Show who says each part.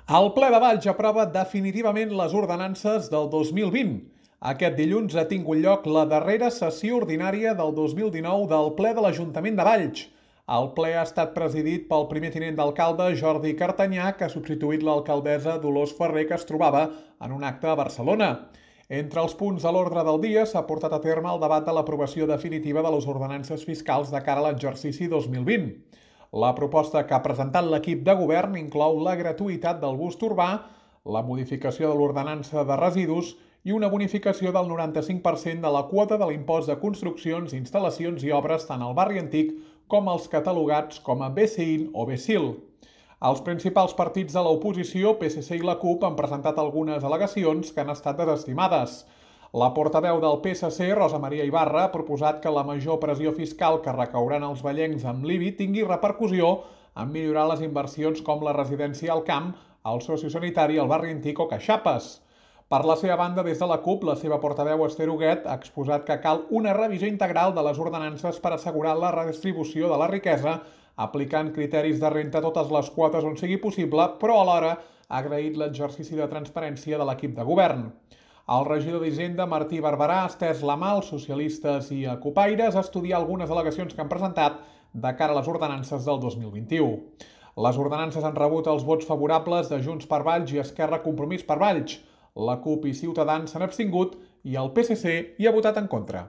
Speaker 1: El ple de Valls aprova definitivament les ordenances del 2020. Aquest dilluns ha tingut lloc la darrera sessió ordinària del 2019 del ple de l'Ajuntament de Valls. El ple ha estat presidit pel primer tinent d'alcalde Jordi Cartanyà, que ha substituït l'alcaldessa Dolors Ferrer, que es trobava en un acte a Barcelona. Entre els punts de l'ordre del dia s'ha portat a terme el debat de l'aprovació definitiva de les ordenances fiscals de cara a l'exercici 2020. La proposta que ha presentat l'equip de govern inclou la gratuïtat del bus urbà, la modificació de l'ordenança de residus i una bonificació del 95% de la quota de l'impost de construccions, instal·lacions i obres tant al barri antic com als catalogats com a BCIN o BCIL. Els principals partits de l'oposició, PSC i la CUP, han presentat algunes al·legacions que han estat desestimades. La portaveu del PSC, Rosa Maria Ibarra, ha proposat que la major pressió fiscal que recauran els vallencs amb l'IBI tingui repercussió en millorar les inversions com la residència al camp, el sociosanitari, el barri antic o Caixapes. Per la seva banda, des de la CUP, la seva portaveu Esther Huguet ha exposat que cal una revisió integral de les ordenances per assegurar la redistribució de la riquesa, aplicant criteris de renta a totes les quotes on sigui possible, però alhora ha agraït l'exercici de transparència de l'equip de govern. El regidor d'Hisenda, Martí Barberà, ha estès la mà als socialistes i a Cupaires a estudiar algunes al·legacions que han presentat de cara a les ordenances del 2021. Les ordenances han rebut els vots favorables de Junts per Valls i Esquerra Compromís per Valls. La CUP i Ciutadans s'han abstingut i el PSC hi ha votat en contra.